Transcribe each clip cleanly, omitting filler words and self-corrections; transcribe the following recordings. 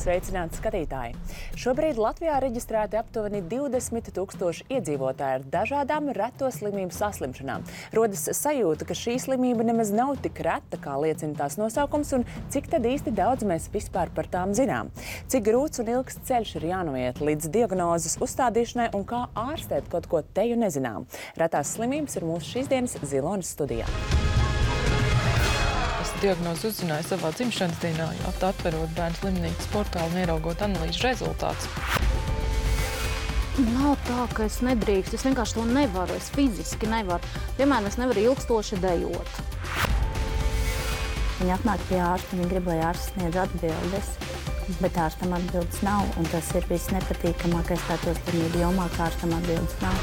Sveicināti skatītāji! Šobrīd Latvijā reģistrēti aptuveni 20 000 iedzīvotāji ar dažādām reto slimību saslimšanām. Rodas sajūta, ka šī slimība nemaz nav tik reta, kā liecina tās nosaukums, un cik tad īsti daudz mēs vispār par tām zinām. Cik grūts un ilgs ceļš ir jānoiet līdz diagnozes uzstādīšanai un kā ārstēt kaut ko teju nezinām. Retās slimības ir mūsu šīs dienas Zilonas studijā. Diagnozi uzzināju savā dzimšanas dienā, atverot bērnu slimnīcas portālu un ieraugot analīžu rezultātus. Nav tā, ka es nedrīkstu, es vienkārši to nevaru, es fiziski nevaru. Piemēram, es nevaru ilgstoši dejot. Viņi atnāk pie ārsta, viņi grib, lai ārsts sniedz atbildes, bet ārstam atbildes nav, un tas ir viss nepatīkamākais reto slimību jomā, ka ārstam atbildes nav.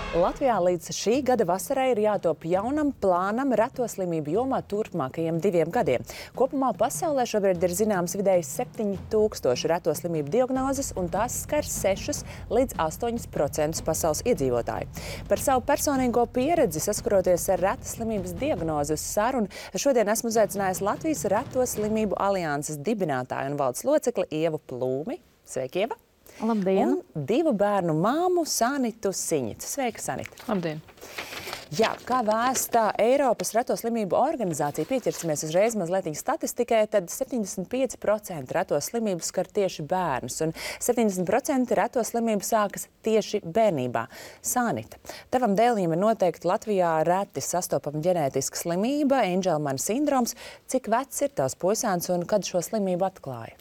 Latvijā līdz šī gada vasarai ir jātop jaunam plānam reto slimību jomā turpmākajiem 2 gadiem. Kopumā pasaulē šobrīd ir zināms vidēji 7000 reto slimību diagnozes, un tās skar 6 līdz 8% pasaules iedzīvotāju. Par savu personīgo pieredzi saskaroties ar retas slimības diagnozi uz sarunu, šodien esmu uzaicinājusi Latvijas Reto slimību alianses dibinātāju un valdes locekli Ievu Plūmi. Sveiki, Ieva! Labdien! Un 2 bērnu māmu Sanitu Siņicu. Sveika, Sanita! Labdien! Jā, kā vēsta Eiropas Reto slimību organizācija, pieķersimies uzreiz mazliet statistikai, tad 75% reto slimību skar tieši bērnus, un 70% reto slimību sākas tieši bērnībā. Sanita, tavam dēlim ir noteikti Latvijā reti sastopama ģenētiska slimība, Angelmana sindroms. Cik vecs ir tavs puisēns un kad šo slimību atklāja?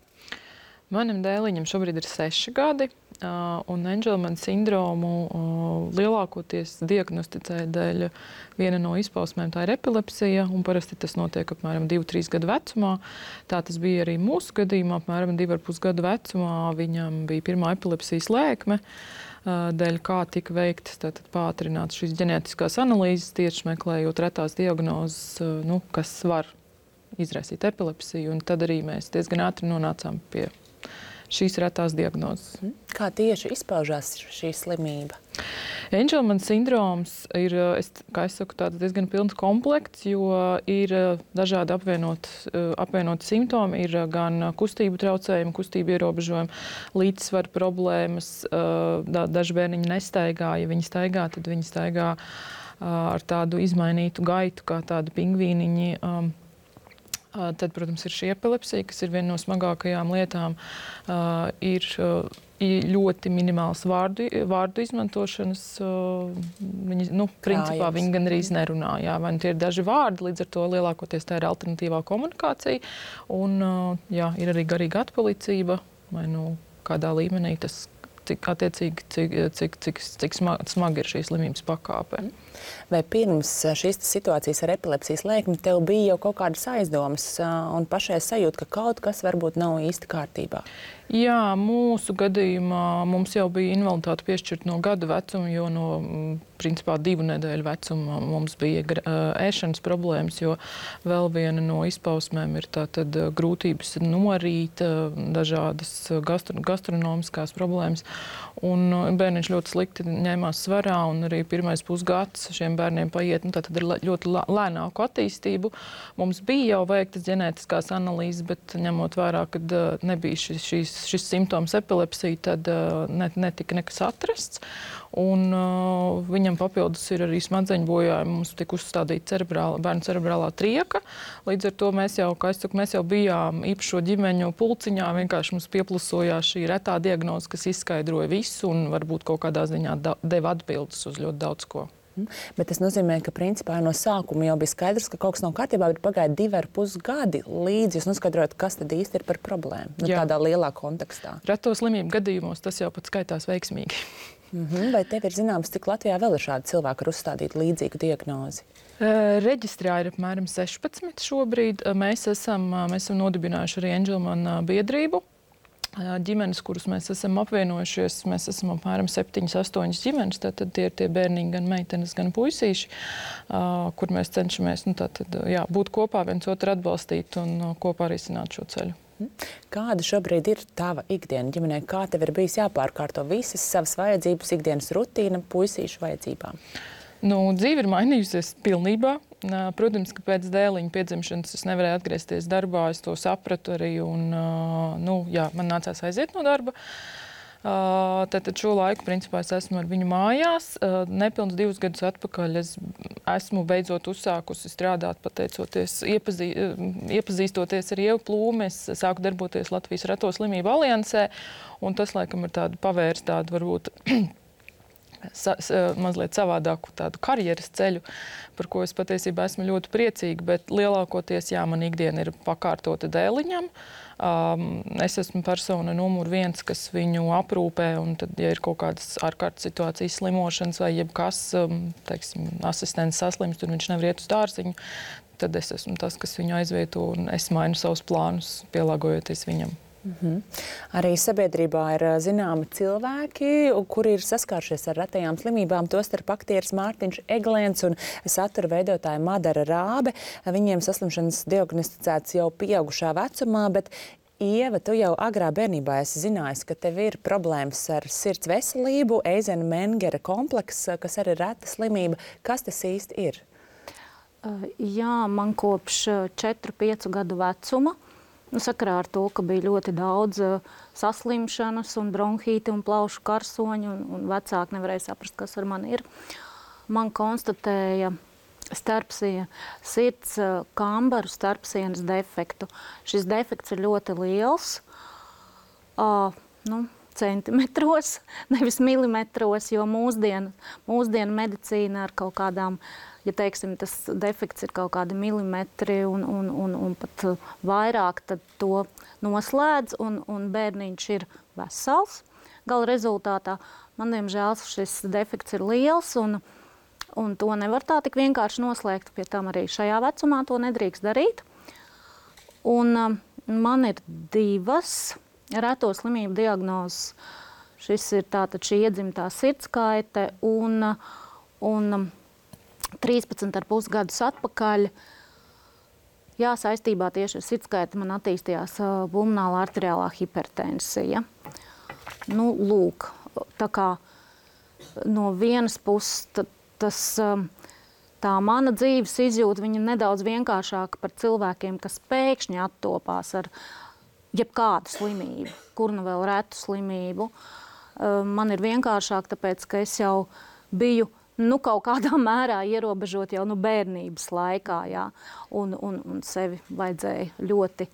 Manam dēliņam šobrīd ir 6 gadi, un Angelmana sindromu lielākoties diagnosticē dēļ viena no izpausmēm, tā ir epilepsija, un parasti tas notiek apmēram 2-3 gadu vecumā. Tā tas bija arī mūsu gadījumā, apmēram 2,5 gadu vecumā viņam bija pirmā epilepsijas lēkme, dēļ kā tika veiktas pātrināts šīs ģenētiskās analīzes, tieši meklējot retās diagnozes, kas var izraisīt epilepsiju, un tad arī mēs diezgan ātri nonācām pie šīs retās diagnozes. Kā tieši izpaužās šī slimība? Angelmana sindroms ir, kā es saku, tāds diezgan pilns komplekts, jo ir dažādi apvienoti simptomi, ir gan kustību traucējumi, kustību ierobežojumi, līdzsvaru problēmas, daži bērniņi nestaigā, ja viņi staigā, tad viņi staigā ar tādu izmainītu gaitu, kā tādu pingvīniņi. Tad, protams, ir šī epilepsija, kas ir viena no smagākajām lietām. Ir ļoti minimāls vārdu izmantošanas. Principā viņi gandrīz nerunā. Jā, vai tie ir daži vārdi, līdz ar to lielākoties tā ir alternatīvā komunikācija. Un ir arī garīga atpalicība, vai kādā līmenī tas cik smagi ir šīs slimības pakāpe. Vai pirms šīs situācijas ar epilepsijas lēkmi tev bija jau kaut kādas aizdomas un pašai sajūta, ka kaut kas varbūt nav īsti kārtībā? Jā, mūsu gadījumā mums jau bija invaliditāte piešķirta no gada vecuma, jo no principā 2 nedēļu vecuma mums bija ēšanas problēmas, jo vēl viena no izpausmēm ir tātad grūtības norīt, dažādas gastronomiskās problēmas. Un bērniņš ļoti slikti ņēmās svarā, un arī pirmais pusgads šiem bērniem paiet, tātad ir ļoti lēnāku attīstību. Mums bija jau veiktas ģenētiskās analīzes, bet ņemot vērā, kad nebija šis simptoms epilepsija, tad netika nekas atrasts. Un viņam papildus ir arī smadzeņu bojājumi. Mums tika uzstādīta bērnu cerebrālā trieka. Līdz ar to mēs jau bijām īpašo ģimeņu pulciņā. Vienkārši mums pieplusojās šī retā diagnoze, kas izskaidroja visu un varbūt kaut kādā ziņā deva atbildes uz ļoti daudz ko. Bet tas nozīmē, ka principā no sākuma jau bija skaidrs, ka kaut kas nav kārtībā, bet pagāja 2,5 gadi līdz jūs noskaidrojat, kas tad īsti ir par problēmu, tādā lielā kontekstā. Reto slimību gadījumos tas jau pat skaitās veiksmīgi. Vai tev ir zināms, cik Latvijā vēl ir šādi cilvēki ar uzstādītu līdzīgu diagnozi? Reģistrā ir apmēram 16 šobrīd. Mēs esam nodibinājuši arī Angelmana biedrību. Ģimenes, kurus mēs esam apvienojušies, mēs esam apmēram 7-8 ģimenes, tātad tie ir tie bērniņi, gan meitenes, gan puisīši, kur mēs cenšamies būt kopā, viens otru atbalstīt un kopā risināt šo ceļu. Kāda šobrīd ir tava ikdiena ģimenē? Kā tev ir bijis jāpārkārto visas savas vajadzības, ikdienas rutīna puisīšu vajadzībām? Dzīve ir mainījusies pilnībā. Protams, ka pēc dēliņa piedzimšanas es nevarēju atgriezties darbā, es to sapratu arī, un man nācās aiziet no darba. Tad šo laiku, principā, es esmu ar viņu mājās. Nepilns 2 gadus atpakaļ es esmu beidzot uzsākusi strādāt, pateicoties, iepazīstoties ar Ievu Plūmi. Es sāku darboties Latvijas Reto slimību aliansē, un tas, laikam, ir pavērs tādu varbūt mazliet savādāku tādu karjeras ceļu, par ko es patiesībā esmu ļoti priecīga, bet lielākoties, man ikdiena ir pakārtota dēliņam. Es esmu persona numur 1, kas viņu aprūpē, un tad, ja ir kaut kādas ārkārtas situācijas, slimošanas vai jebkas, teiksim, asistents saslims, tur viņš nevar iet uz dārziņu, tad es esmu tas, kas viņu aizvieto, un es mainu savus plānus, pielāgojoties viņam. Arī sabiedrībā ir zināmi cilvēki, kuri ir saskāršies ar retajām slimībām, tostarp aktieris Mārtiņš Eglēns un satura veidotāja Madara Rābe. Viņiem saslimšanas diagnosticēts jau pieaugušā vecumā, bet Ieva, tu jau agrā bērnībā esi zinājis, ka tev ir problēmas ar sirds veselību, Eizenmengera komplekss, kas arī ir reta slimība. Kas tas īsti ir? Jā, man kopš 4-5 gadu vecuma. Sakarā ar to, ka bija ļoti daudz saslimšanas un bronhīti un plaušu karsoņu, un vecāki nevarēja saprast, kas ar mani ir. Man konstatēja sirds kambaru starpsienas defektu. Šis defekts ir ļoti liels, centimetros, nevis milimetros, jo mūsdienu medicīna ar kaut kādām, ja teiksim, tas defekts ir kaut kādi milimetri un pat vairāk, tad to noslēdz un bērniņš ir vesels. Gala rezultātā man, diemžēl, šis defekts ir liels un to nevar tā tik vienkārši noslēgt. Pie tam arī šajā vecumā to nedrīkst darīt. Un man ir 2 reto slimību diagnozes. Šis ir tātad šī iedzimtā sirdskaite un 13,5 gadus atpakaļ, saistībā tieši ar sirdskaiti man attīstījās pulmonāla arteriālā hipertensija. Lūk, tā kā no vienas puses tā mana dzīves izjūta, viņa nedaudz vienkāršāka par cilvēkiem, kas pēkšņi attopās ar jebkādu slimību, kur nu vēl retu slimību. Man ir vienkāršāk, tāpēc, ka es jau biju kaut kādā mērā ierobežot jau bērnības laikā, un sevi vajadzēja ļoti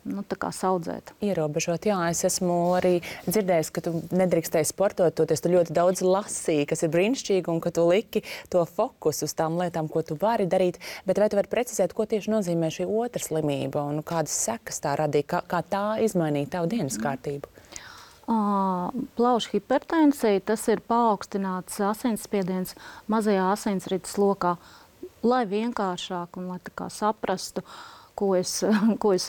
tā kā saudzēt. Ierobežot, es esmu arī dzirdējis, ka tu nedrīkstēji sportoties, tu ļoti daudz lasīji, kas ir brīnišķīgi, un ka tu liki to fokusu uz tām lietām, ko tu vari darīt, bet vai tu vari precizēt, ko tieši nozīmē šī otra slimība, un kādas sekas tā radīja, kā tā izmainīja tavu dienas kārtību? Plaušu hipertensija, tas ir paaugstināts asinsspiediens mazajā asinsrites lokā, lai vienkāršāk un lai tā kā saprastu, ko es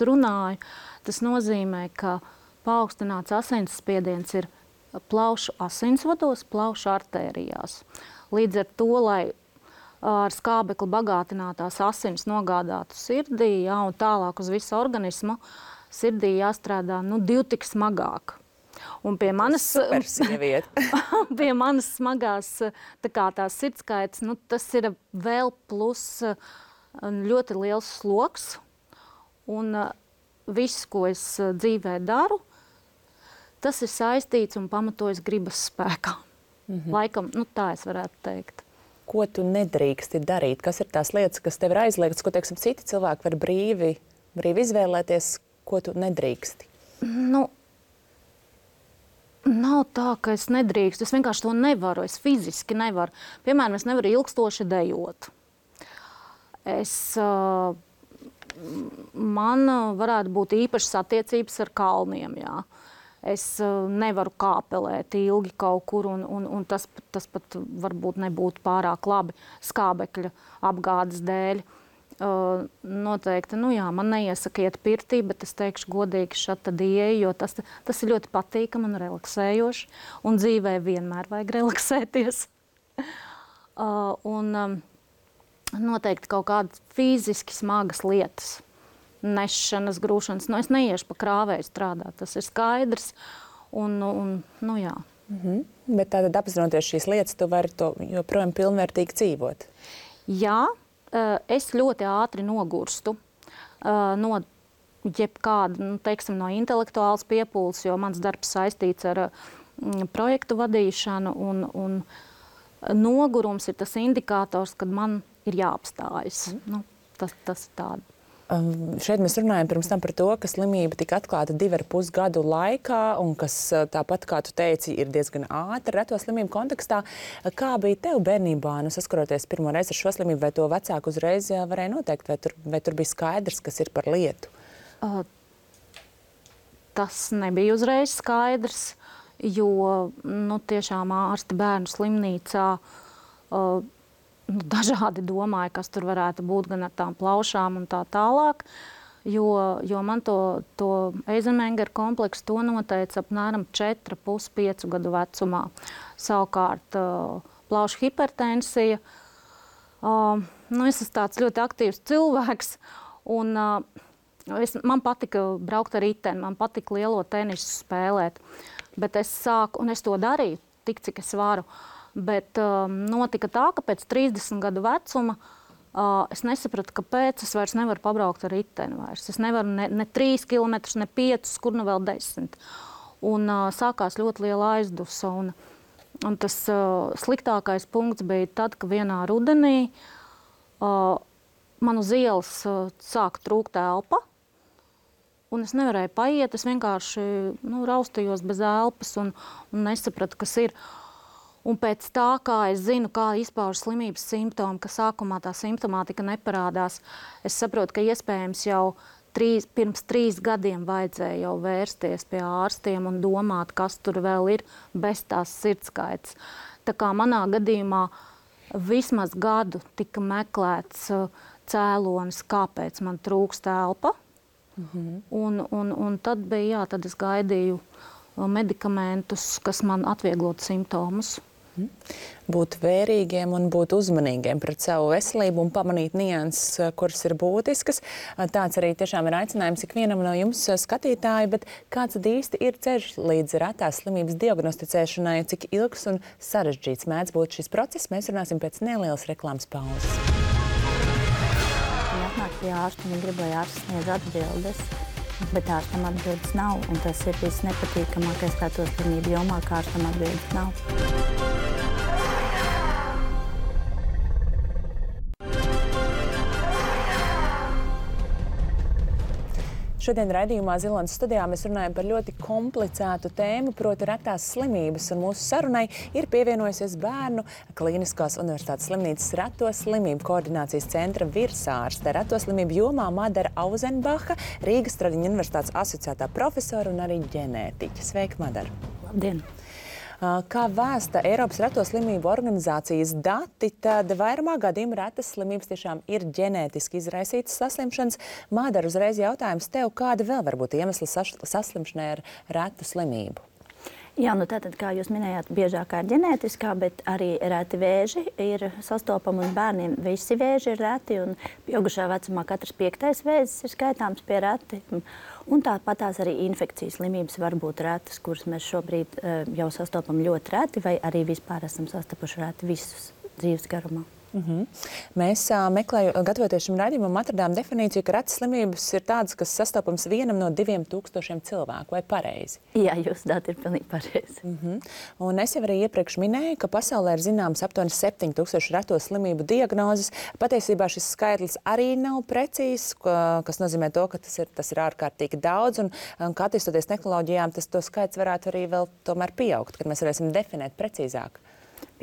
runāju. Tas nozīmē, ka paaugstināts asinsspiediens ir plaušu asinsvados, plaušu artērijās. Līdz ar to, lai ar skābekli bagātinātās asins nogādātu sirdī, un tālāk uz visu organismu, sirdī jāstrādā 2 tik smagāk. Un pie manas smagās tās sirdskaites, tas ir vēl plus ļoti liels sloks. Un viss, ko es dzīvē daru, tas ir saistīts un pamatojas gribas spēkā. Laikam, tā es varētu teikt. Ko tu nedrīksti darīt? Kas ir tās lietas, kas tev ir aizliegtas, ko, teiksim, citi cilvēki var brīvi izvēlēties, ko tu nedrīksti? Nav tā, ka es nedrīkstu. Es vienkārši to nevaru. Es fiziski nevaru. Piemēram, es nevaru ilgstoši dejot. Man varētu būt īpašas attiecības ar kalniem, Es nevaru kāpelēt ilgi kaut kur, un tas pat varbūt nebūtu pārāk labi skābekļa apgādes dēļ. Noteikti, man neiesaka iet pirtī, bet es teikšu godīgi šādi ieeju, jo tas ir ļoti patīkami un relaksējoši, un dzīvē vienmēr vajag relaksēties. Noteikti kaut kādas fiziski smagas lietas, nešanas, grūšanas. Es neiešu pa krāvēju strādāt, tas ir skaidrs, Bet tātad apzinoties šīs lietas, tu vari to joprojām pilnvērtīgi dzīvot. Jā, es ļoti ātri nogurstu no jebkāda, teiksim, no intelektuālas piepūles, jo mans darbs saistīts ar projektu vadīšanu, un nogurums ir tas indikators, kad man ir jāapstājas. Tas ir tāda. Šeit mēs runājam pirms tam par to, ka slimība tika atklāta 2,5 gadu laikā, un kas tāpat, kā tu teici, ir diezgan ātri reto slimību kontekstā. Kā bija tev bērnībā, saskaroties pirmo reizi ar šo slimību, vai to vecāku uzreiz varēja noteikt, vai tur bija skaidrs, kas ir par lietu? Tas nebija uzreiz skaidrs, jo tiešām ārsti bērnu slimnīcā dažādi domāja, kas tur varētu būt gan ar tām plaušām un tā tālāk, jo man to Eizenmengera kompleksu to noteica apmēram 4,5–5 gadu vecumā. Savukārt plaušu hipertensija. Es esmu tāds ļoti aktīvs cilvēks, un man patika braukt ar riteni, man patika lielo tenisu spēlēt, bet es to darīju tik, cik es varu. Bet notika tā, ka pēc 30 gadu vecuma es nesapratu, kāpēc es vairs nevaru pabraukt ar riteni vairs. Es nevaru ne 3 kilometrus, ne 5, kur nu vēl 10. Un sākās ļoti liela aizdusa. Un tas sliktākais punkts bija tad, ka vienā rudenī man uz ielas sāka trūkt elpa. Un es nevarēju paiet, es vienkārši raustījos bez elpas un nesapratu, kas ir. Un pēc tā, kā es zinu, kā izpaužas slimības simptomi, ka sākumā tā simptomātika neparādās, es saprotu, ka iespējams jau pirms 3 gadiem vajadzēja jau vērsties pie ārstiem un domāt, kas tur vēl ir bez tās sirdskaitas. Tā kā manā gadījumā vismaz gadu tika meklēts cēlonis, kāpēc man trūkst elpa. Un tad bija, tad es gaidīju medikamentus, kas man atvieglotu simptomus. Būt vērīgiem un būt uzmanīgiem pret savu veselību un pamanīt nianses, kuras ir būtiskas. Tāds arī tiešām ir aicinājums ikvienam no jums, skatītāji, bet kāds tad īsti ir ceļš līdz retās slimības diagnosticēšanai, cik ilgs un sarežģīts mēdz būt šis process, mēs runāsim pēc nelielas reklāmas pauzes. Viņi atnāk pie ārsta, viņi grib, lai ārsts sniedz atbildes, bet ārstam atbildes nav, un tas ir viss nepatīkamākais reto slimību jomā, ka ārstam atbildes nav. Šodien raidījumā Zilonas studijā mēs runājam par ļoti komplicētu tēmu, proti retās slimības, un mūsu sarunai ir pievienojusies Bērnu Kliniskās universitātes slimnīcas reto slimību koordinācijas centra virsārste, reto slimību jomā Madara Auzenbacha, Rīgas Traģiņu universitātes asociētā profesora un arī ģenētiķe. Sveika, Madara! Labdien! Kā vēsta Eiropas reto slimību organizācijas dati, tad vairumā gadījumu retas slimības tiešām ir ģenētiski izraisītas saslimšanas. Madara, uzreiz jautājums tev, kāda vēl var būt iemesli saslimšanai ar retu slimību? Jā, tātad, kā jūs minējāt, biežākā ir ģenētiskā, bet arī reti vēži ir sastopami, un bērniem visi vēži ir reti, un pieaugušā vecumā katrs 5. vēzis ir skaitāms pie reti. Un tāpat tās arī infekcijas slimības var būt retas, kuras mēs šobrīd jau sastopam ļoti reti, vai arī vispār esam sastapuši reti visus dzīves garumā. Mēs gatavoties šim raidījumam, atradām definīciju, ka retas slimības ir tādas, kas sastopams 1 no 2000 cilvēku, vai pareizi? Jā, jūsu dati ir pilnīgi pareizi. Un es jau arī iepriekš minēju, ka pasaulē ir zināms aptuveni 7000 reto slimību diagnozes. Patiesībā šis skaitlis arī nav precīzs, kas nozīmē to, ka tas ir ārkārtīgi daudz, un kā attīstoties tehnoloģijām, to skaits varētu arī vēl tomēr pieaugt, kad mēs varēsim definēt precīzāk.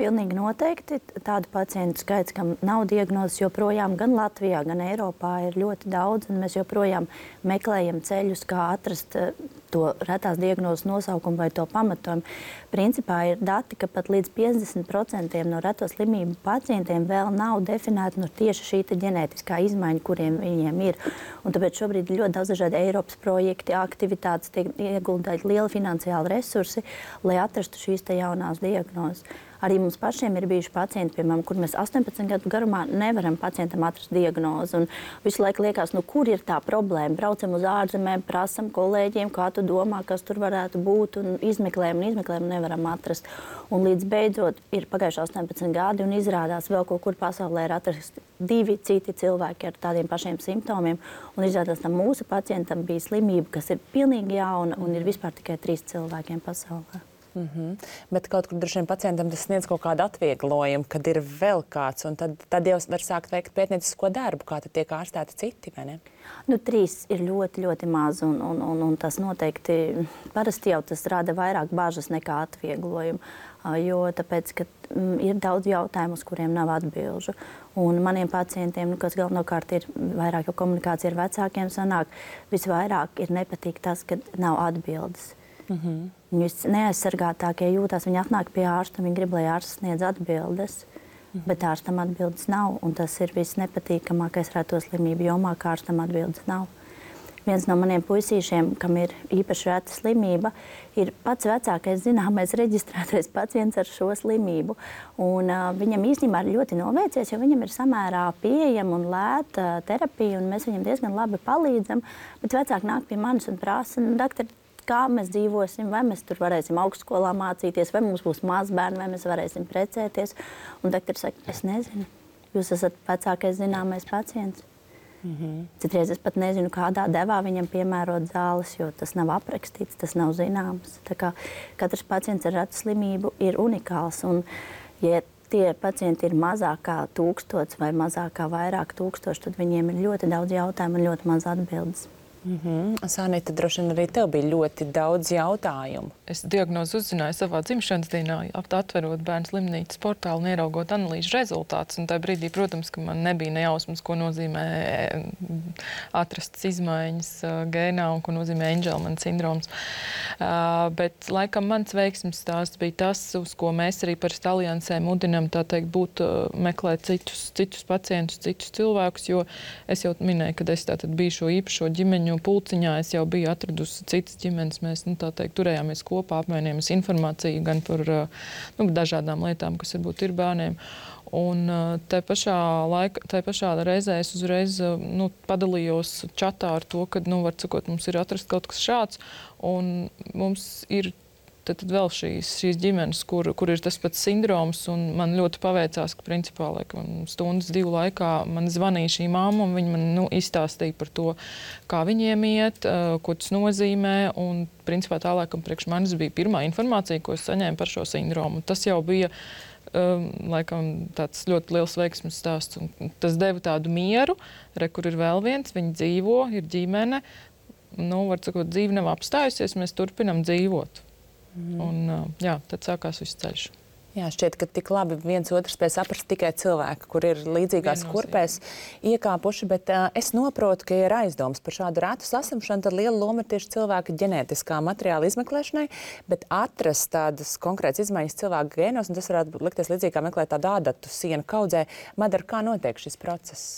Pilnīgi noteikti. Tādu pacientu skaits, kam nav diagnozes, joprojām gan Latvijā, gan Eiropā ir ļoti daudz, un mēs joprojām meklējam ceļus, kā atrast to retās diagnozes nosaukumu vai to pamatojumu. Principā ir dati, ka pat līdz 50% no reto slimību pacientiem vēl nav definēta tieši šī ģenētiskā izmaiņa, kuriem viņiem ir. Un tāpēc šobrīd ir ļoti daudz dažādi Eiropas projekti, aktivitātes, tiek ieguldīti lieli finansiāli resursi, lai atrastu šīs jaunās diagnozes. Arī mums pašiem ir bijuši pacienti, piemēram, kur mēs 18 gadu garumā nevaram pacientam atrast diagnozi. Un visu laiku liekas, kur ir tā problēma. Braucam uz ārzemēm, prasam kolēģiem, kā tu domā, kas tur varētu būt, un izmeklējam, nevaram atrast. Un līdz beidzot ir pagājuši 18 gadi, un izrādās vēl kaut kur pasaulē ir atrasti 2 citi cilvēki ar tādiem pašiem simptomiem, un izrādās tam mūsu pacientam bija slimība, kas ir pilnīgi jauna, un ir vispār tikai 3 cilvēkiem pasaulē. Bet kaut kur droši vien pacientam tas sniedz kaut kādu atvieglojumu, kad ir vēl kāds, un tad jau var sākt veikt pētniecisko darbu, kā tad tiek ārstēti citi, vai ne? 3 ir ļoti, ļoti maz, un tas noteikti parasti jau tas rada vairāk bažas nekā atvieglojumu, jo tāpēc, ka ir daudz jautājumu, uz kuriem nav atbilžu. Un maniem pacientiem, kas galvenokārt ir vairāk jau komunikācija ar vecākiem sanāk, visvairāk ir nepatīk tas, ka nav atbildes. Viņi neaizsargātākie jūtās, viņi atnāk pie ārsta, viņi grib, lai ārsts sniedz atbildes, bet ārstam atbildes nav, un tas ir viss nepatīkamākais reto slimību jomā, ka ārstam atbildes nav. Viens no maniem puisīšiem, kam ir īpaši reta slimība, ir pats vecākais zināmais reģistrētais pacients ar šo slimību. Un, viņam īstenībā ir ļoti noveicies, jo viņam ir samērā pieejama un lēta terapija, un mēs viņam diezgan labi palīdzam, bet vecāki nāk pie manis un prasa, doktor, kā mēs dzīvosim, vai mēs tur varēsim augstskolā mācīties, vai mums būs mazbērni, vai mēs varēsim precēties. Un doktors saka, es nezinu, jūs esat vecākais zināmais pacients. Citreiz es pat nezinu, kādā devā viņam piemērot zāles, jo tas nav aprakstīts, tas nav zināms. Tā kā katrs pacients ar retu slimību ir unikāls. Un, ja tie pacienti ir mazāk kā 1000 vai mazāk kā vairāk tūkstoši, tad viņiem ir ļoti daudz jautājumu un ļoti maz atbildes. Sanita, droši vien arī tev bija ļoti daudz jautājumu. Es diagnozi uzzināju savā dzimšanas dienā, atverot bērnu slimnīcas portālu un ieraugot analīžu rezultātus. Un tajā brīdī, protams, ka man nebija nejausmas, ko nozīmē atrastas izmaiņas gēnā un ko nozīmē Angelmana sindroms. Bet laikam mans veiksmes stāsts bija tas, uz ko mēs arī par aliansē mudinām, tā teikt, meklēt citus pacientus, citus cilvēkus, jo es jau minēju, kad es tātad biju šo īpašo ģimeņu pulciņā, es jau biju atradusi citas ģimenes. Mēs, tā teikt, turējāmies kopā, apmainījāmies informāciju gan par dažādām lietām, kas varbūt ir bērniem. Un tai pašā reizē es uzreiz padalījos čatā ar to, ka, var sakot, mums ir atrast kaut kas šāds, un mums ir tad vēl šīs ģimenes, kur ir tas pats sindroms, un man ļoti paveicās, ka principā stundas 2 laikā man zvanīja šī mamma, un viņa man izstāstīja par to, kā viņiem iet, ko tas nozīmē, un principā tā laikam priekš manis bija pirmā informācija, ko es saņēmu par šo sindromu. Tas jau bija laikam tāds ļoti liels veiksmes stāsts, un tas deva tādu mieru, kur ir vēl viens, viņi dzīvo, ir ģimene, var sakot, dzīve nav apstājusies, mēs turpinam dzīvot. Un, tad sākās viss ceļš. Jā, šķiet, ka tik labi viens otru spēj saprast tikai cilvēki, kur ir līdzīgās kurpēs iekāpuši, bet es noprotu, ka ir aizdoms par šādu retu saslimšanu, tad liela loma ir tieši cilvēka ģenētiskā materiāla izmeklēšanai, bet atrast tādas konkrētas izmaiņas cilvēka gēnos, un tas varētu likties līdzīgi kā meklēt tādu ādatu sienu kaudzē. Madara, kā notiek šis process?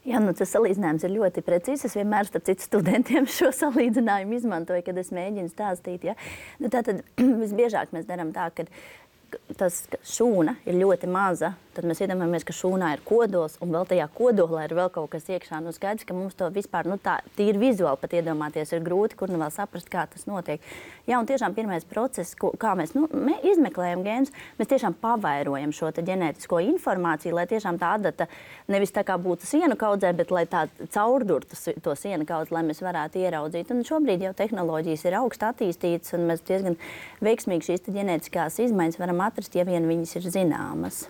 Jā, tas salīdzinājums ir ļoti precīzs. Es vienmēr starp citu studentiem šo salīdzinājumu izmantoju, kad es mēģinu stāstīt. Ja? Tātad visbiežāk mēs darām tā, ka tas šūna ir ļoti maza, tad mēs iedomājamies, ka šūnā ir kodols, un vēl tajā kodolā ir vēl kaut kas iekšā. Skaidrs, ka mums to vispār, tā tīri vizuāli pat iedomāties ir grūti, kur vēl saprast, kā tas notiek. Jā, un tiešām pirmais process, kā mēs izmeklējam gēnus, mēs tiešām pavairojam šo ģenētisko informāciju, lai tiešām tā adata nevis tā kā būtu sienu kaudzē, bet lai tā caurdurtu to sienu kaudzi, lai mēs varētu ieraudzīt. Un šobrīd jau tehnoloģijas ir augsti attīstītas, un mēs diezgan veiksmīgi šīs ģenētiskās izmaiņas varam atrast, ja vien viņas ir zināmas.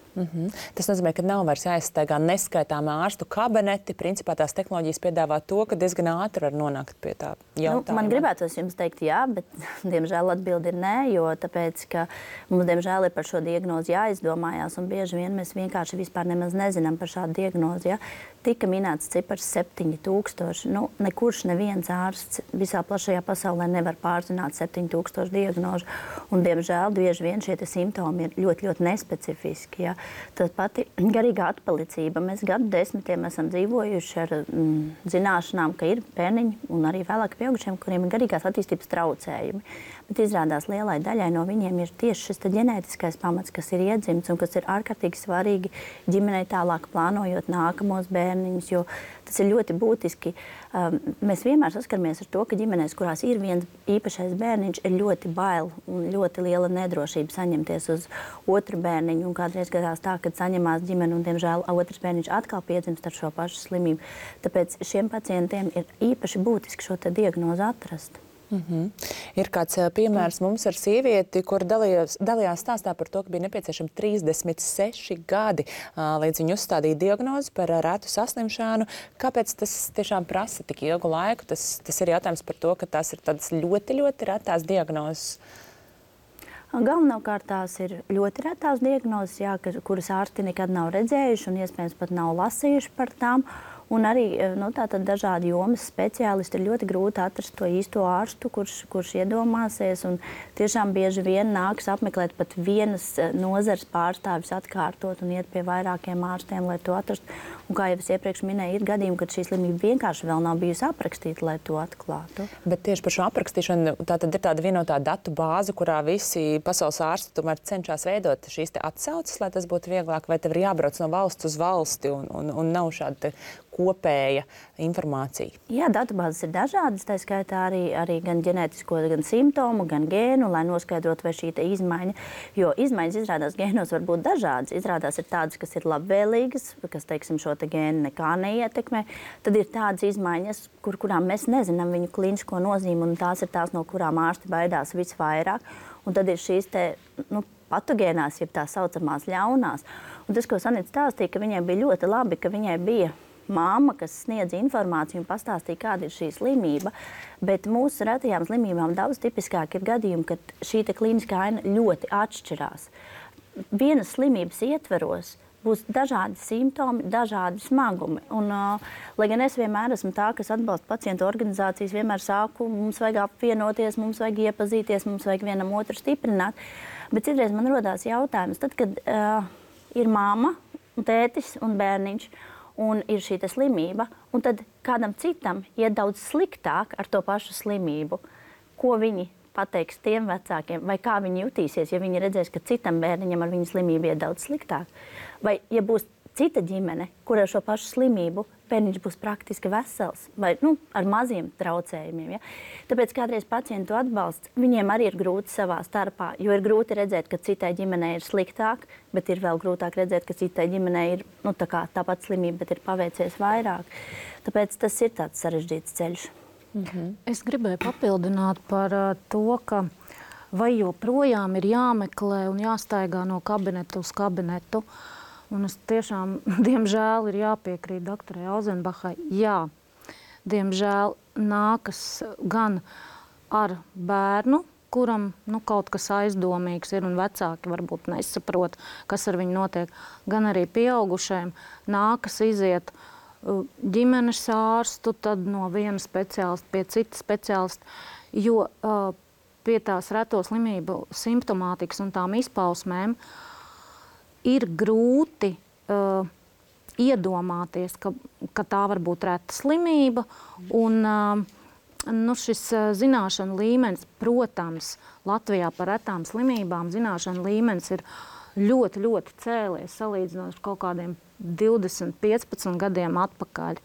Tas nozīmē, ka nav vairs jāizstaigā neskaitāmā ārstu kabineti. Principā tās tehnoloģijas piedāvā to, ka diezgan ātri var nonākt pie tā jautājuma. Man gribētos jums teikt jā, bet diemžēl atbildi ir nē, jo tāpēc, ka mums diemžēl ir par šo diagnozi jāizdomājās, un bieži vien mēs vienkārši vispār nemaz nezinām par šādu diagnozi. Ja? Tika minēts cipars 7000. Nekurš neviens ārsts visā plašajā pasaulē nevar pārzināt 7000 diagnožu, un diemžēl bieži vien šie simptomi ir ļoti, ļoti nespecifiski. Ja? Tas pati garīgā atpalicība. Mēs gadu desmitiem esam dzīvojuši ar zināšanām, ka ir bērniņi un arī vēlāk pieaugušiem, kuriem ir garīgās attīstības traucējumi. Bet izrādās lielai daļai no viņiem ir tieši šis ģenētiskais pamats, kas ir iedzimts un kas ir ārkārtīgi svarīgi ģimenei tālāk plānojot nākamos bērnus. bērniņus, jo tas ir ļoti būtiski. Mēs vienmēr saskaramies ar to, ka ģimenēs, kurās ir viens īpašais bērniņš, ir ļoti bail un ļoti liela nedrošība saņemties uz otru bērniņu. Un kādreiz gadās tā, kad saņemās ģimene un, diemžēl, otrs bērniņš atkal piedzimst ar šo pašu slimību. Tāpēc šiem pacientiem ir īpaši būtiski šo diagnozi atrast. Ir kāds piemērs mums ar sievieti, kur dalījās stāstā par to, ka bija nepieciešami 36 gadi, līdz viņa uzstādīja diagnozi par retu saslimšanu. Kāpēc tas tiešām prasa tik ilgu laiku? Tas ir jautājums par to, ka tās ir tādas ļoti, ļoti retās diagnozes. Galvenokārt tās ir ļoti retās diagnozes, kuras ārsti nekad nav redzējuši un iespējams pat nav lasījuši par tām. Un arī tātad dažādi jomas speciālisti ir ļoti grūti atrast to īsto ārstu, kurš iedomāsies. Un tiešām bieži vien nāks apmeklēt pat vienas nozares pārstāvis atkārtot un iet pie vairākiem ārstiem, lai to atrastu. Un kā jau es iepriekš minēju, ir gadījumi, kad šī slimība vienkārši vēl nav bijusi aprakstīta, lai to atklātu. Bet tieši par šo aprakstīšanu tātad ir tāda vienotā datu bāze, kurā visi pasaules ārsti tomēr cenšas veidot šīs atsauces, lai tas būtu vieglāk, vai tev ir jābrauc no valsts uz valsti un nav šāda kopēja informācija. Jā, datubāzes ir dažādas, tā skaitā arī gan ģenētisko, gan simptomu, gan gēnu, lai noskaidrotu, vai šī izmaiņa, jo izmaiņas izrādās gēnos var būt dažādas. Izrādās ir tādas, kas ir labvēlīgas, kas, teiksim, šo gēnu nekā neietekmē. Tad ir tādas izmaiņas, kurām mēs nezinām viņu klīnisko nozīmi, un tās ir tās, no kurām ārsti baidās visvairāk. Un tad ir šīs patogēnās, jeb tā saucamās ļaunās. Un tas, ko Sanita stāstīja, ka viņai bija ļoti labi, ka viņai bija māma, kas sniedz informāciju un pastāstīja, kāda ir šī slimība. Bet mūsu retajām slimībām daudz tipiskāk ir gadījumi, kad šī klīniskā aina ļoti atšķirās. Vienas slimības ietveros būs dažādi simptomi, dažādi smagumi. Un, lai gan es vienmēr esmu tā, kas atbalsta pacientu organizācijas, vienmēr saku, mums vajag apvienoties, mums vajag iepazīties, mums vajag vienam otru stiprināt. Bet citreiz man rodās jautājums, tad, kad ir māma, tētis un bērniņš, un ir šī slimība, un tad kādam citam iet daudz sliktāk ar to pašu slimību, ko viņi pateiks tiem vecākiem, vai kā viņi jutīsies, ja viņi redzēs, ka citam bērniņam ar viņu slimību iet daudz sliktāk. Vai, ja būs cita ģimene, kur ar šo pašu slimību bērniņš būs praktiski vesels, vai ar maziem traucējumiem. Ja? Tāpēc kādreiz pacientu atbalsts, viņiem arī ir grūti savā starpā, jo ir grūti redzēt, ka citai ģimenei ir sliktāk, bet ir vēl grūtāk redzēt, ka citai ģimenei ir tāpat slimība, bet ir paveicies vairāk. Tāpēc tas ir tāds sarežģīts ceļš. Es gribēju papildināt par to, ka vai joprojām ir jāmeklē un jāstaigā no kabineta uz kabinetu. Un es tiešām, diemžēl, ir jāpiekrīt doktorai Auzenbachai. Jā, diemžēl nākas gan ar bērnu, kuram kaut kas aizdomīgs ir un vecāki varbūt nesaprot, kas ar viņu notiek, gan arī pieaugušajiem nākas iziet ģimenes ārstu, tad no viena speciālista pie cita speciālista, jo pie tās reto slimību simptomātikas un tām izpausmēm ir grūti iedomāties, ka tā var būt reta slimība. Un, šis zināšanu līmenis, protams, Latvijā par retām slimībām zināšanu līmenis ir ļoti, ļoti cēlies salīdzinot ar kaut kādiem 20, 15 gadiem atpakaļ.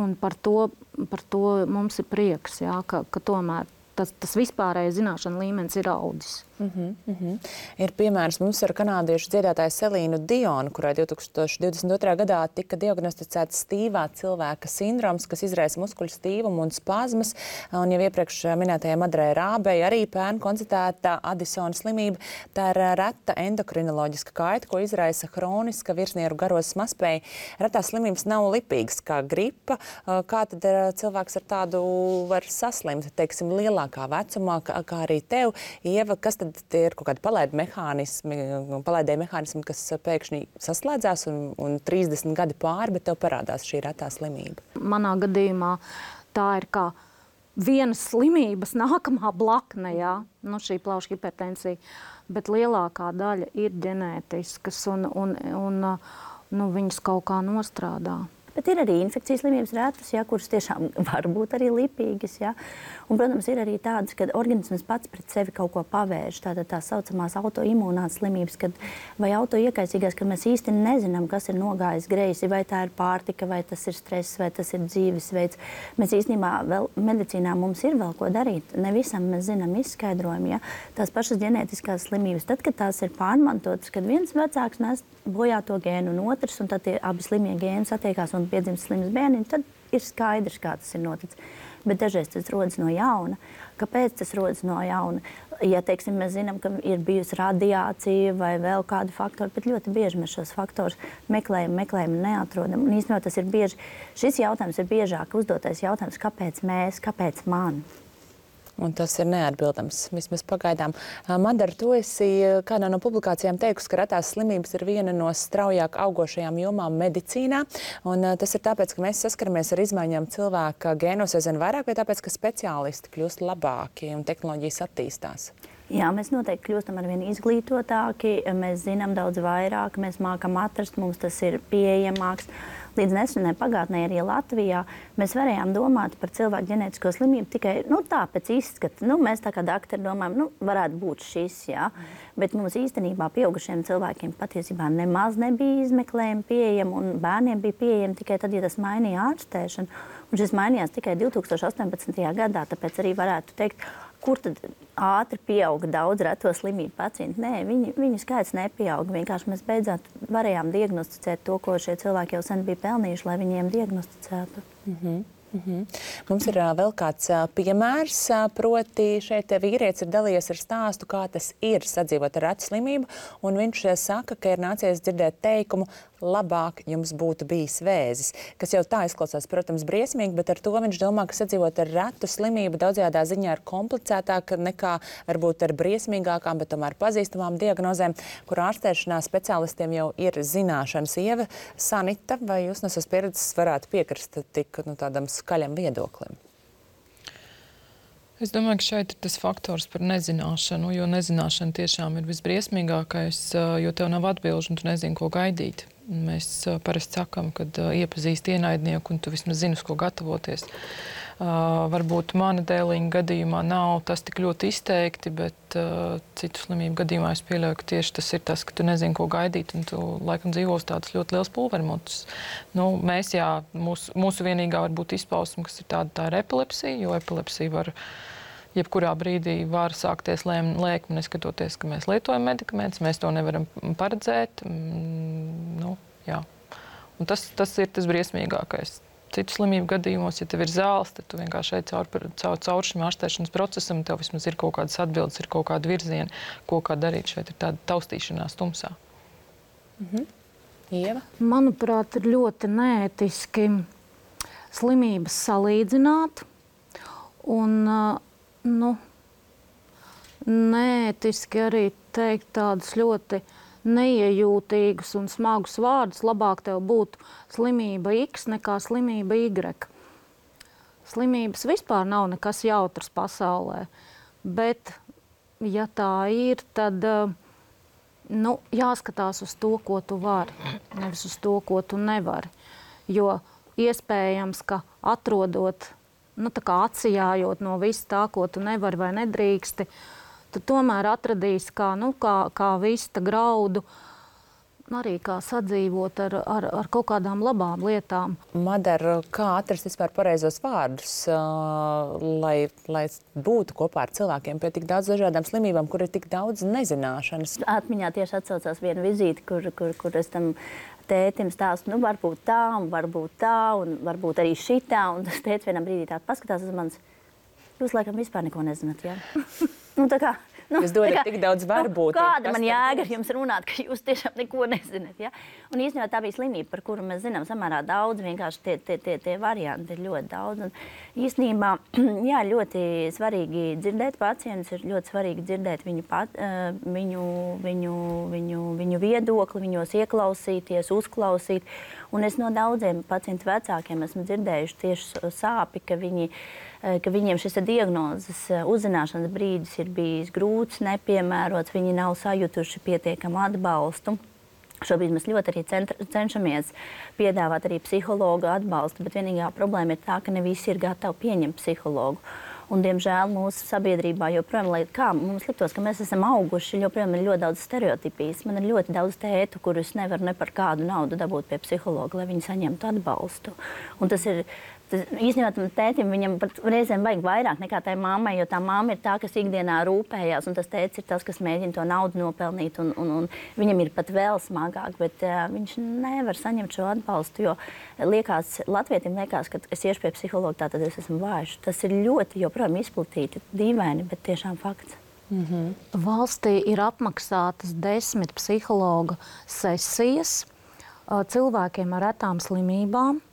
Un par to mums ir prieks, jā, ka tomēr tas vispārējais zināšanu līmenis ir audzis. Ir piemērs mums ar kanādiešu dziedātāju Selīnu Dionu, kurai 2022. gadā tika diagnosticēts stīvā cilvēka sindroms, kas izraisa muskuļu stīvumu un spazmas. Un jau iepriekš minētajai Madrai Rābei arī pērn konstatēta Addisona slimība. Tā ir reta endokrinoloģiska kaita, ko izraisa hroniska virsnieru garozas mazspēja. Retās slimības nav lipīgas kā gripa. Kā tad cilvēks ar tādu var saslimt, teiksim, lielākā vecumā, kā arī tev, Ieva, kas tad tie ir kaut kādi palaidēji mehānismi, kas pēkšņi saslēdzās un 30 gadi pāri, bet tev parādās šī retā slimība? Manā gadījumā tā ir kā vienas slimības nākamā blakne, jā, šī plaušu hipertensija, bet lielākā daļa ir ģenētiskas un viņas kaut kā nostrādā. Bet ir arī infekcijas slimības retas, ja, kuras tiešām var būt arī lipīgas. Ja. Un, protams, ir arī tādas, kad organisms pats pret sevi kaut ko pavērš. Tātad tā saucamās autoimūnās slimības, vai autoiekaisīgās, kad mēs īsti nezinām, kas ir nogājis greisi, vai tā ir pārtika, vai tas ir stress, vai tas ir dzīvesveids. Mēs īstenībā vēl medicīnā mums ir vēl ko darīt. Ne visam mēs zinām izskaidrojumu. Ja. Tās pašas ģenētiskās slimības, tad, kad tās ir pārmantotas, kad viens vecāks nes bojā to gēnu un otrs, un tad tie abi slimie gēni satiekās un piedzimst slims bērniņš, tad ir skaidrs, kā tas ir noticis. Bet dažreiz tas rodas no jauna. Kāpēc tas rodas no jauna? Ja, teiksim, mēs zinām, ka ir bijusi radiācija vai vēl kādi faktori, bet ļoti bieži mēs šos faktorus meklējam un neatrodam. Un īstenībā tas ir bieži, šis jautājums ir biežāk uzdotais jautājums, kāpēc mēs, kāpēc man? Un tas ir neatbildams, vismaz pagaidām. Madara, tu esi kādā no publikācijām teikusi, ka retās slimības ir viena no straujāk augošajām jomām medicīnā. Un tas ir tāpēc, ka mēs saskaramies ar izmaiņām cilvēka gēnos aizvien vairāk, vai tāpēc, ka speciālisti kļūst labāki un tehnoloģijas attīstās? Jā, mēs noteikti kļūstam ar vien izglītotāki, mēs zinām daudz vairāk, mēs mākam atrast, mums tas ir pieejamāks. Līdz nesenai pagātnē arī Latvijā mēs varējām domāt par cilvēku ģenētisko slimību tikai tā pēc izskata. Mēs tā kā doktori domājam, varētu būt šis, jā. Bet mums īstenībā pieaugušiem cilvēkiem patiesībā nemaz nebija izmeklējumi pieejami un bērniem bija pieejami tikai tad, ja tas mainīja ārstēšanu. Un šis mainījās tikai 2018. gadā, tāpēc arī varētu teikt, kur tad ātri pieauga daudz reto slimību pacientu. Nē, viņu skaits nepieauga. Vienkārši mēs beidzot varējām diagnosticēt to, ko šie cilvēki jau sen bija pelnījuši, lai viņiem diagnosticētu. Mums ir vēl kāds piemērs, proti šeit vīrietis ir dalījies ar stāstu, kā tas ir sadzīvot ar retu slimību, un viņš saka, ka ir nācies dzirdēt teikumu, labāk jums būtu bijis vēzis, kas jau tā izklausās, protams, briesmīgi, bet ar to viņš domā, ka sadzīvot ar retu slimību daudzajādā ziņā ir komplicētāk nekā varbūt ar briesmīgākām, bet tomēr pazīstamām diagnozēm, kur ārstēšanā speciālistiem jau ir zināšanas. Ieva, Sanita, vai jūs no savas pieredzes varētu piekrist tik tādam skaļam viedoklim? Es domāju, ka šeit ir tas faktors par nezināšanu, jo nezināšana tiešām ir visbriesmīgākais, jo tev nav atbilžu un tu nezini, ko gaidīt. Mēs parasti sakam, kad iepazīst ienaidnieku un tu vismaz zini, uz ko gatavoties. Varbūt mana dēliņa gadījumā nav tas tik ļoti izteikti, bet citu slimību gadījumā es pieļauju, ka tieši tas ir tas, ka tu nezini, ko gaidīt, un tu laikam dzīvo uz tādas ļoti liels pulvermutus. Mēs, mūsu vienīgā varbūt izpausme, kas ir tā ir epilepsija, jo epilepsija var jebkurā brīdī var sākties lēkme, neskatoties, ka mēs lietojam medikamentus, mēs to nevaram paredzēt. Un tas ir tas briesmīgākais. Citu slimību gadījumos, ja tev ir zāles, tad tu vienkārši ej caur šim ārstēšanas procesam, tev vismaz ir kaut kādas atbildes, ir kaut kāda virziena, ko kā darīt. Šeit ir tāda taustīšanās tumsā. Ieva? Manuprāt, ir ļoti neētiski slimības salīdzināt un neētiski arī teikt tādus ļoti neiejūtīgus un smagus vārdus. Labāk tev būtu slimība X nekā slimība Y. Slimības vispār nav nekas jautrs pasaulē, bet, ja tā ir, tad jāskatās uz to, ko tu vari, nevis uz to, ko tu nevari. Jo iespējams, ka atrodot, tā kā atsijājot no visu tā, ko tu nevari vai nedrīksti, tu tomēr atradīsi kā vista graudu, arī kā sadzīvot ar kaut kādām labām lietām. Madara, kā atrast vispār pareizos vārdus, lai būtu kopā ar cilvēkiem pie tik daudz dažādām slimībām, kur ir tik daudz nezināšanas? Atmiņā tieši atsaucās viena vizīte, kur es tam tētim stāstu, varbūt tā, un varbūt arī šitā, un tas tētis vienā brīdī tā paskatās uz manis. Jūs laikam vispār neko nezināt, jā? Jūs dodat tik daudz varbūt. Kāda man jēga ar jums runāt, ka jūs tiešām neko nezināt, ja? Un īstenībā tā bija slimība, par kuru mēs zinām samērā daudz, vienkārši tie varianti ir ļoti daudz. Un īstenībā, jā, ļoti svarīgi dzirdēt pacientus, ir ļoti svarīgi dzirdēt viņu viedokli, viņos ieklausīties, uzklausīt. Un es no daudziem pacientu vecākiem esmu dzirdējuši tieši sāpi, ka viņiem šis diagnozes uzzināšanas brīdis ir bijis grūts, nepiemērots, viņi nav sajutuši pietiekamu atbalstu. Šobrīd mēs ļoti arī cenšamies piedāvāt arī psihologu atbalstu, bet vienīgā problēma ir tā, ka ne visi ir gatavi pieņemt psihologu. Un, diemžēl, mūsu sabiedrībā joprojām, lai kā mums liktos, ka mēs esam auguši, joprojām ir ļoti daudz stereotipijas. Man ir ļoti daudz tētu, kurus nevar ne par kādu naudu dabūt pie psihologa, lai viņi saņemtu atbalstu. Un tas ir īstenībā tam tētim viņam pat reizēm vajag vairāk nekā tai mammai, jo tā mamma ir tā, kas ikdienā rūpējās, un tas tētis ir tas, kas mēģina to naudu nopelnīt, un viņam ir pat vēl smagāk, bet viņš nevar saņemt šo atbalstu, jo latvietim liekas, ka es iešu pie psihologa, tad es esmu vājš. Tas ir ļoti joprojām izplatīti, dīvaini, bet tiešām fakts. Valstī ir apmaksātas 10 psihologa sesijas cilvēkiem ar retām slimībām.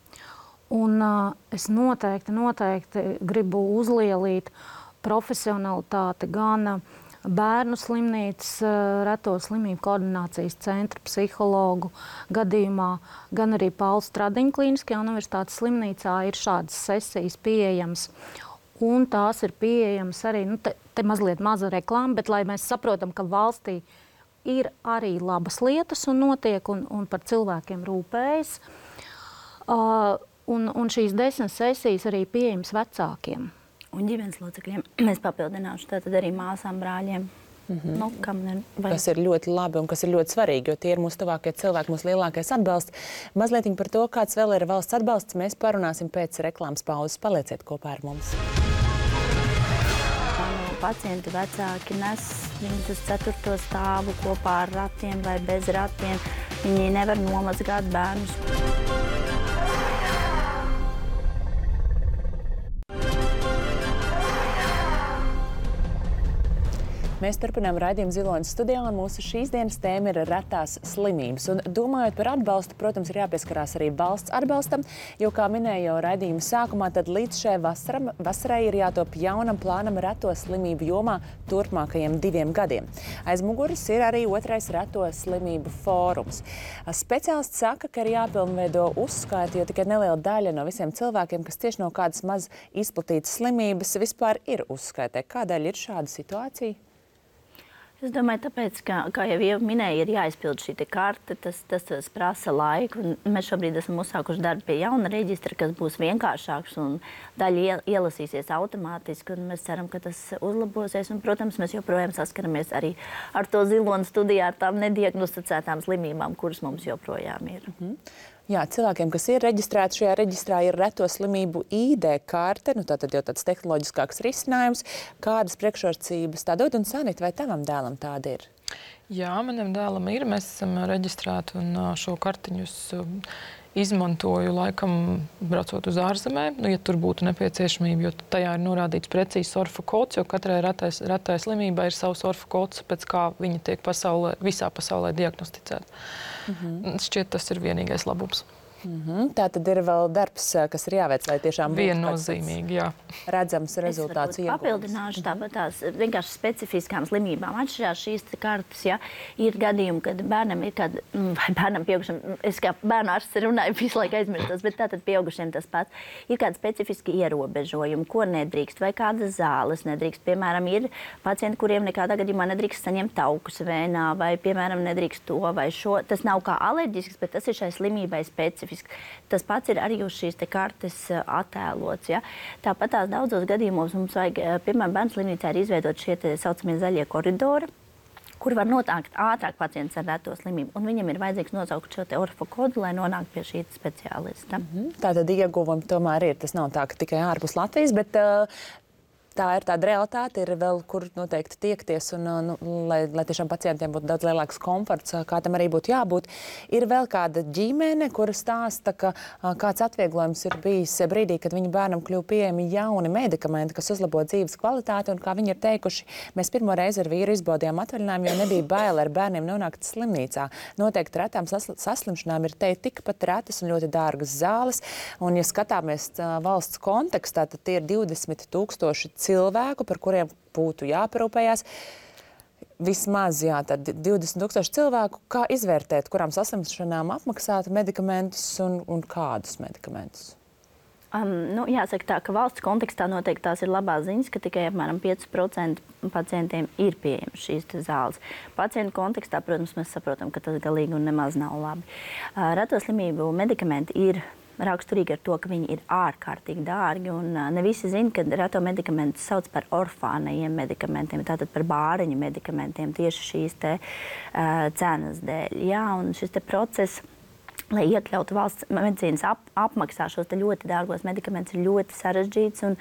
Un es noteikti gribu uzlielīt profesionalitāti gan bērnu slimnīcas reto slimību koordinācijas centra psihologu gadījumā, gan arī Paula Stradiņa Klīniskajā universitātes slimnīcā ir šādas sesijas pieejamas. Un tās ir pieejamas arī, te mazliet maza reklāma, bet lai mēs saprotam, ka valstī ir arī labas lietas un notiek un par cilvēkiem rūpējas. Un šīs 10 sesijas arī pieejamas vecākiem. Un ģimenes locekļiem mēs papildināšu, tātad arī māsām, brāļiem. Kas ir ļoti labi un kas ir ļoti svarīgi, jo tie ir mūsu tuvākie cilvēki, mūsu lielākais atbalsts. Mazliet par to, kāds vēl ir valsts atbalsts, mēs parunāsim pēc reklāmas pauzes. Palieciet kopā ar mums. Pacienti vecāki nes viņus uz 4. stāvu kopā ar ratiem vai bez ratiem. Viņi nevar nomazgāt bērnus. Mēs turpinām raidījumu Ziloņas studijā, un mūsu šīs dienas tēma ir retās slimības. Un domājot par atbalstu, protams, ir jāpieskarās arī valsts atbalstam, jo, kā minēju jau raidījuma sākumā, tad līdz šai vasarai ir jātop jaunam plānam reto slimību jomā turpmākajiem 2 gadiem. Aiz muguras ir arī 2. reto slimību fórums. Speciālisti saka, ka ir jāpilnveido uzskaiti, jo tikai neliela daļa no visiem cilvēkiem, kas tieši no kādas maz izplatītas slimības, vispār ir uzskaitē. Kādēļ ir šāda situācija? Es domāju, tāpēc, kā jau minēju, ir jāizpild šī karte, tas prasa laiku. Mēs šobrīd esam uzsākuši darbu pie jauna reģistra, kas būs vienkāršāks un daļa ielasīsies automātiski. Mēs ceram, ka tas uzlabosies. Un, protams, mēs joprojām saskaramies arī ar to Ziloņas studijā, ar tām nediagnosticētām slimībām, kuras mums joprojām ir. Jā, cilvēkiem, kas ir reģistrēti šajā reģistrā, ir reto slimību ID karte, tātad jau tāds tehnoloģiskāks risinājums. Kādas priekšrocības tā dod, un Sanita, vai tavam dēlam tāda ir? Jā, manam dēlam ir. Mēs esam reģistrēti un šo kartiņus izmantoju laikam braucot uz ārzemēm, ja tur būtu nepieciešamība, jo tajā ir norādīts precīzs orfa kods, jo katrai retai slimībai ir savs orfa kods, pēc kā viņa tiek visā pasaulē diagnosticēta. Šķiet, tas ir vienīgais labums. Tā tad ir vēl darbs, kas ir jāveic, lai tiešām būtu viennozīmīgi, jā. Redzams rezultāts. Es papildināšu tāpat tās vienkārši specifiskām slimībām. Atšķirās šīs kartas, ja ir gadījumi, kad bērnam ir kāda, vai bērnam pieaugušam, es kā bērnu ārsts runāju, visu laiku aizmirstos, bet tātad pieaugušiem tas pats. Ir kādi specifiski ierobežojumi, ko nedrīkst, vai kādas zāles nedrīkst. Piemēram, ir pacienti, kuriem nekādā gadījumā nedrīkst saņemt taukus vēnā, vai, piemēram, nedrīkst to vai šo. Tas nav kā alerģisks, bet tas ir šai slimībai specifiski. Tas pats ir arī uz šīs kartes attēlots. Ja? Tāpat tās daudzos gadījumos mums vajag, piemēram, bērnu slimnīcā ir izveidot šie saucamie zaļie koridori, kur var nonākt ātrāk pacients ar reto slimību. Un viņam ir vajadzīgs nosaukt šo orfa kodu, lai nonāktu pie šī speciālista. Tātad ieguvumi tomēr ir. Tas nav tā, ka tikai ārpus Latvijas, bet tā ir tāda realitāte, ir vēl kur noteikti tiekties, un, lai tiešām pacientiem būtu daudz lielāks komforts, kā tam arī būtu jābūt. Ir vēl kāda ģimene, kura stāsta, ka kāds atvieglojums ir bijis brīdī, kad viņu bērnam kļuva pieejami jauni medikamenti, kas uzlabo dzīves kvalitāti, un kā viņi ir teikuši, mēs pirmo reizi ar vīru izbaudījām atvaļinājumu, jo nebija bail ar bērniem nonākt slimnīcā. Noteikti retām saslimšanām ir tikpat retas un ļoti dārgas zāles, un ja skatāmies valsts kontekstā, tad tie ir 20,000 cilvēku, par kuriem būtu jāparūpējās. Vismaz, tad 20,000 cilvēku. Kā izvērtēt, kurām saslimšanām apmaksāt medikamentus un kādus medikamentus? Jāsaka tā, ka valsts kontekstā noteikti tās ir labās ziņas, ka tikai apmēram 5% pacientiem ir pieejamas šīs zāles. Pacientu kontekstā, protams, mēs saprotam, ka tas galīgi un nemaz nav labi. Reto slimību medikamenti ir raksturīgi ar to, ka viņi ir ārkārtīgi dārgi, un ne visi zina, ka reto medikamentus sauc par orfānajiem medikamentiem, tātad par bāreņu medikamentiem tieši šīs te cenas dēļ. Jā, un šis te process, lai iekļautu valsts medicīnas apmaksā šos ļoti dārgos medikamentus, ir ļoti sarežģīts un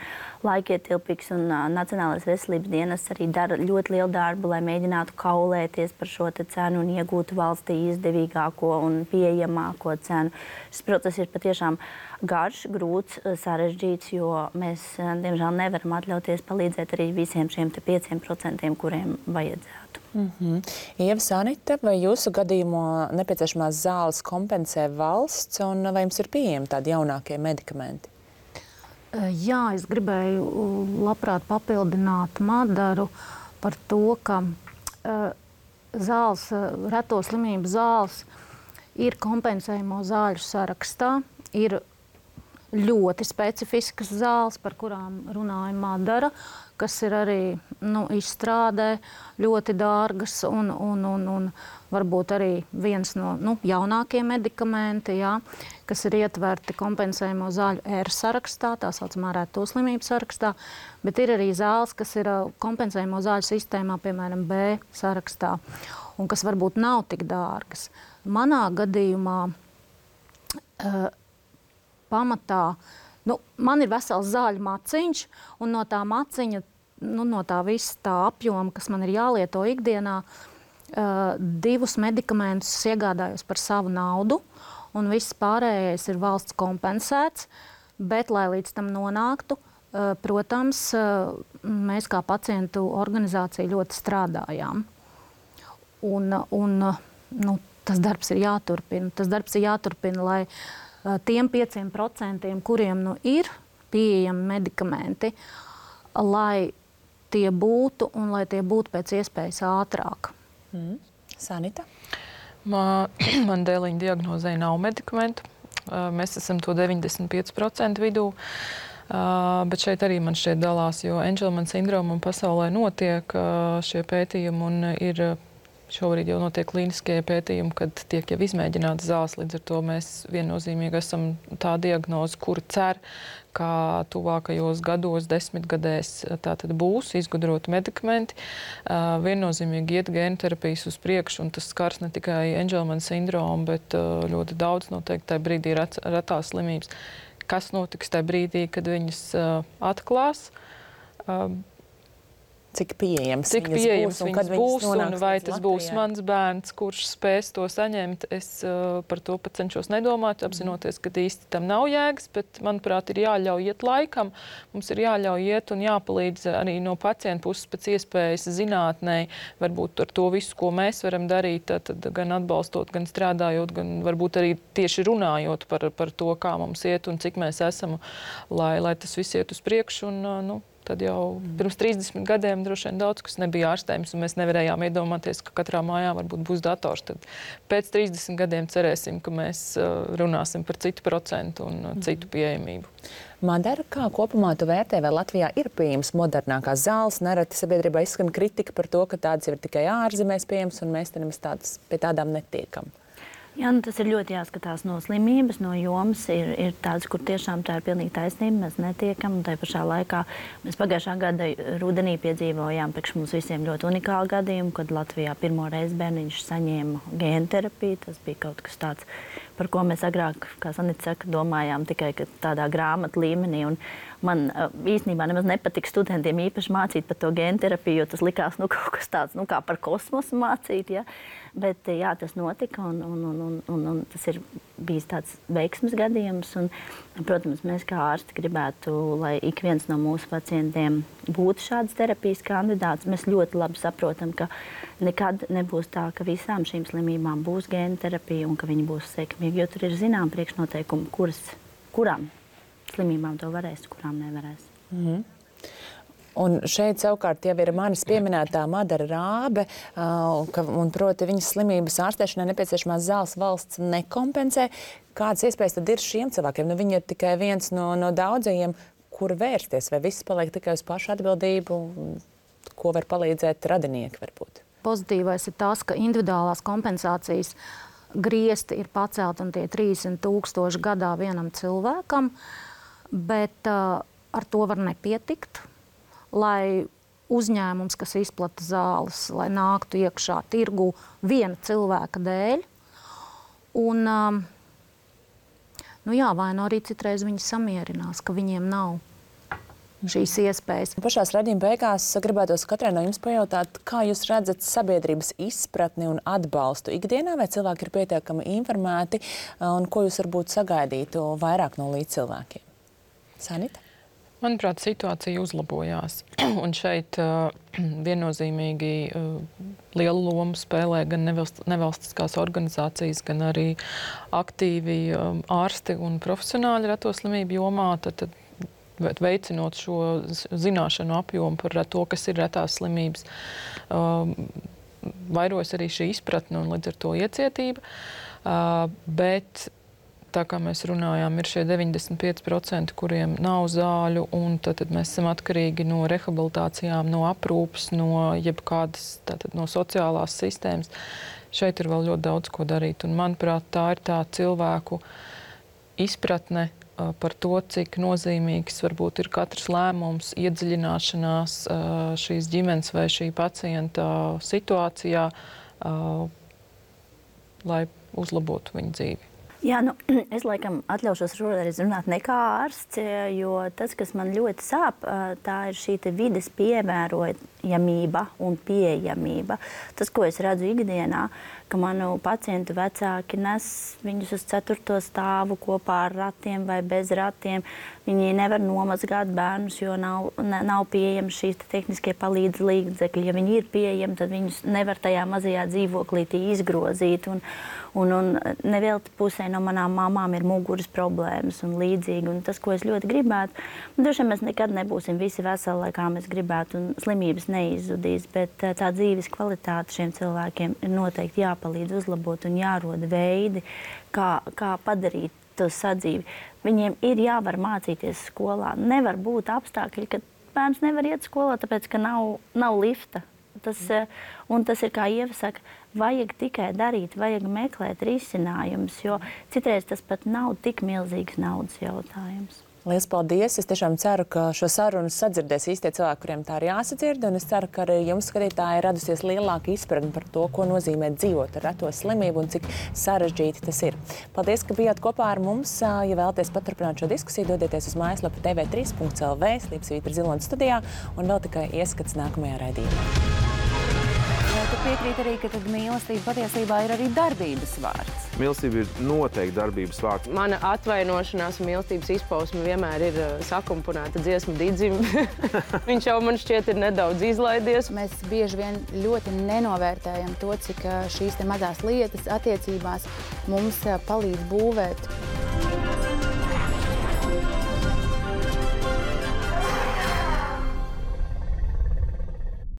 laikietilpīgs. Un Nacionālais veselības dienests arī dara ļoti lielu darbu, lai mēģinātu kaulēties par šo cenu un iegūtu valstī izdevīgāko un pieejamāko cenu. Šis process ir patiešām garš, grūts, sarežģīts, jo mēs, diemžēl, nevaram atļauties palīdzēt arī visiem šiem 5%, kuriem vajadzētu. Ieva, Sanita, vai jūsu gadījumā nepieciešamās zāles kompensē valsts, un vai jums ir pieejami tādi jaunākie medikamenti? Jā, es gribēju labprāt papildināt Madaru par to, ka zāles, reto slimību zāles ir kompensējumu zāļu sarakstā, ir ļoti specifiskas zāles, par kurām runāja Madara, kas ir arī izstrādē ļoti dārgas un varbūt arī viens no jaunākiem medikamenti, kas ir ietverti kompensējumu zāļu R sarakstā, tā saucamā reto slimību sarakstā, bet ir arī zāles, kas ir kompensējumu zāļu sistēmā, piemēram, B sarakstā, un kas varbūt nav tik dārgas. Manā gadījumā pamatā, man ir vesels zāļu maciņš, un no tā maciņa, no tā visa tā apjoma, kas man ir jālieto ikdienā, 2 medikamentus iegādājos par savu naudu, un viss pārējais ir valsts kompensēts, bet, lai līdz tam nonāktu, protams, mēs kā pacientu organizācija ļoti strādājām. Un tas darbs ir jāturpina. Tas darbs ir jāturpina, lai tiem 5%, kuriem ir pieejami medikamenti, lai tie būtu un lai tie būtu pēc iespējas ātrāk. Sanita? Man dēliņa diagnozē nav medikamentu. Mēs esam to 95% vidū. Bet šeit arī man šķiet dalās, jo Angelman sindromam pasaulē notiek šie pētījumi un ir šobrīd jau notiek klīniskie pētījumi, kad tiek jau izmēģināts zāles. Līdz ar to mēs viennozīmīgi esam tā diagnoze, kura cer, ka tuvākajos gados, 10 gadēs tātad būs izgudroti medikamenti. Viennozīmīgi iet gēnterapijas uz priekšu, un tas skars ne tikai Angelman sindromu, bet ļoti daudz noteikti tajā brīdī retās slimības. Kas notiks tajā brīdī, kad viņas atklās? Cik pieejams viņas būs un vai tas būs mans bērns, kurš spēs to saņemt. Es par to pat cenšos nedomāt, apzinoties, ka īsti tam nav jēgas, bet, manuprāt, ir jāļauj iet laikam. Mums ir jāļauj iet un jāpalīdz arī no pacienta puses pēc iespējas zinātnei, varbūt ar to visu, ko mēs varam darīt, tad gan atbalstot, gan strādājot, gan varbūt arī tieši runājot par to, kā mums iet un cik mēs esam, lai tas viss iet uz priekšu. Un, tad jau pirms 30 gadiem droši vien daudz, kas nebija ārstējums, un mēs nevarējām iedomāties, ka katrā mājā varbūt būs dators. Tad pēc 30 gadiem cerēsim, ka mēs runāsim par citu procentu un citu pieejamību. Madara, kā kopumā tu vērtē, vai Latvijā ir pieejams modernākās zāles? Nereti sabiedrībā izskan kritika par to, ka tādas ir tikai ārzemēs pieejams, un mēs pie tādām netiekam. Jā, tas ir ļoti jāskatās no slimības, no jomas. Ir tādas, kur tiešām tā ir pilnīgi taisnība. Mēs netiekam. Tā pašā laikā mēs pagājušā gada rudenī piedzīvojām priekš mums visiem ļoti unikālu gadījumu, kad Latvijā pirmo reizi bērniņš saņēma gēnterapiju. Tas bija kaut kas tāds, par ko mēs agrāk, kā Sanita saka, domājām tikai tādā grāmatu līmenī. Un man īstenībā nemaz nepatika studentiem īpaši mācīt par to gēnterapiju, jo tas likās kaut kas tāds, kā par kosmosu mācīt. Ja? Bet jā, tas notika un tas ir bijis tāds veiksmes gadījums. Un, protams, mēs kā ārsti gribētu, lai ik viens no mūsu pacientiem būtu šādas terapijas kandidāts. Mēs ļoti labi saprotam, ka nekad nebūs tā, ka visām šīm slimībām būs gēnterapija un ka viņi būs sekmīgi, jo tur ir zinām priekšnoteikumi, kurām slimībām to varēs, kurām nevarēs. Un šeit savukārt jau ir manis pieminētā Madara Rābe, un proti viņas slimības ārstēšanai nepieciešamās zāles valsts nekompensē. Kādas iespējas tad ir šiem cilvēkiem? Viņi ir tikai viens no daudzajiem, kur vērsties, vai viss paliek tikai uz pašu atbildību, ko var palīdzēt radinieki varbūt? Pozitīvais ir tas, ka individuālās kompensācijas griesti ir pacelti un tie 30,000 gadā vienam cilvēkam, bet ar to var nepietikt, lai uzņēmums, kas izplata zāles, lai nāktu iekšā tirgu viena cilvēka dēļ. Un, vai nu arī citreiz viņi samierinās, ka viņiem nav šīs iespējas. Pašās raidījuma beigās gribētos katrai no jums pajautāt, kā jūs redzat sabiedrības izpratni un atbalstu ikdienā, vai cilvēki ir pietiekami informēti, un ko jūs varbūt sagaidītu vairāk no līdzcilvēkiem? Sanita? Manuprāt, situācija uzlabojās. Un šeit viennozīmīgi lielu lomu spēlē gan nevalstiskās organizācijas, gan arī aktīvi ārsti un profesionāļi reto slimību jomā. Tad veicinot šo zināšanu apjomu par to, kas ir retās slimības, vairojas arī šī izpratne un līdz ar to iecietība. Bet tā kā mēs runājām, ir šie 95%, kuriem nav zāļu, un tad mēs esam atkarīgi no rehabilitācijām, no aprūpes, no jebkādas no sociālās sistēmas. Šeit ir vēl ļoti daudz ko darīt, un manuprāt, tā ir tā cilvēku izpratne par to, cik nozīmīgs varbūt ir katrs lēmums, iedziļināšanās šīs ģimenes vai šī pacienta situācijā, lai uzlabotu viņu dzīvi. Jā, es laikam atļaušos šoreiz runāt ne kā ārsts, jo tas, kas man ļoti sāp, tā ir šī vides piemērojamība un pieejamība. Tas, ko es redzu ikdienā, ka manu pacientu vecāki nes viņus uz 4. stāvu kopā ar ratiem vai bez ratiem. Viņi nevar nomazgāt bērnus, jo nav pieejami šīs tehniskie palīdz līdzekļi. Ja viņi ir pieejami, tad viņus nevar tajā mazajā dzīvoklītī izgrozīt. Un nevelti pusē no manām mamām ir muguras problēmas un līdzīgi. Un tas, ko es ļoti gribētu, droši vien mēs nekad nebūsim visi veseli, kā mēs gribētu, un slimības neizzudīs, bet tā dzīves kvalitāte šiem cilvēkiem ir noteikti jāpalīdz uzlabot un jāroda veidi, kā padarīt to sadzīvi. Viņiem ir jāvar mācīties skolā. Nevar būt apstākļi, ka bērns nevar iet skolā, tāpēc, ka nav lifta. Tas ir, kā Ieva saka, vajag tikai darīt, vajag meklēt risinājumus, jo citreiz tas pat nav tik milzīgs naudas jautājums. Lielas paldies! Es tiešām ceru, ka šo sarunu sadzirdēs īstie cilvēki, kuriem tā ir jāsadzird, un es ceru, ka arī jums, skatītāji, ir radusies lielāka izpratne par to, ko nozīmē dzīvot ar reto slimību un cik sarežģīti tas ir. Paldies, ka bijāt kopā ar mums. Ja vēlaties paturpināt šo diskusiju, dodieties uz mājaslapu tv3.lv, Slīpsvītra Ziloņa studijā, un vēl tikai ieskats nākamajā raidījumā. Tu piekrīt arī, ka mīlestība patiesībā ir arī darbības vārds. Mīlestība ir noteikti darbības vārds. Mana atvainošanās un mīlestības izpausme vienmēr ir sakomponēta dziesmu Didzim. Viņš jau man šķiet ir nedaudz izlaidies. Mēs bieži vien ļoti nenovērtējam to, cik šīs mazās lietas attiecībās mums palīdz būvēt